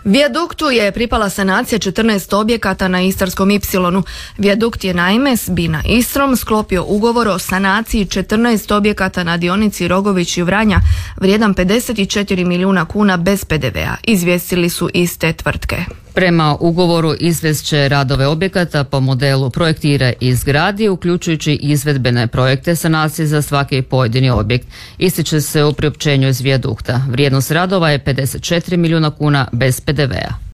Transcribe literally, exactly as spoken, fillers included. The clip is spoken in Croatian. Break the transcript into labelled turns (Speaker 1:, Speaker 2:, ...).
Speaker 1: Vijaduktu je pripala sanacija četrnaest objekata na Istarskom ipsilonu. Vijadukt je naime s Bina Istrom sklopio ugovor o sanaciji četrnaest objekata na dionici Rogović i Vranja vrijedan pedeset četiri milijuna kuna bez pe de vea, izvijestili su iz te tvrtke.
Speaker 2: Prema ugovoru izvest će radove objekata po modelu projektira i izgradi, uključujući izvedbene projekte sanacije za svaki pojedini objekt. Ističe se u priopćenju iz Vijadukta. Vrijednost radova je pedeset četiri milijuna kuna bez pe de vea.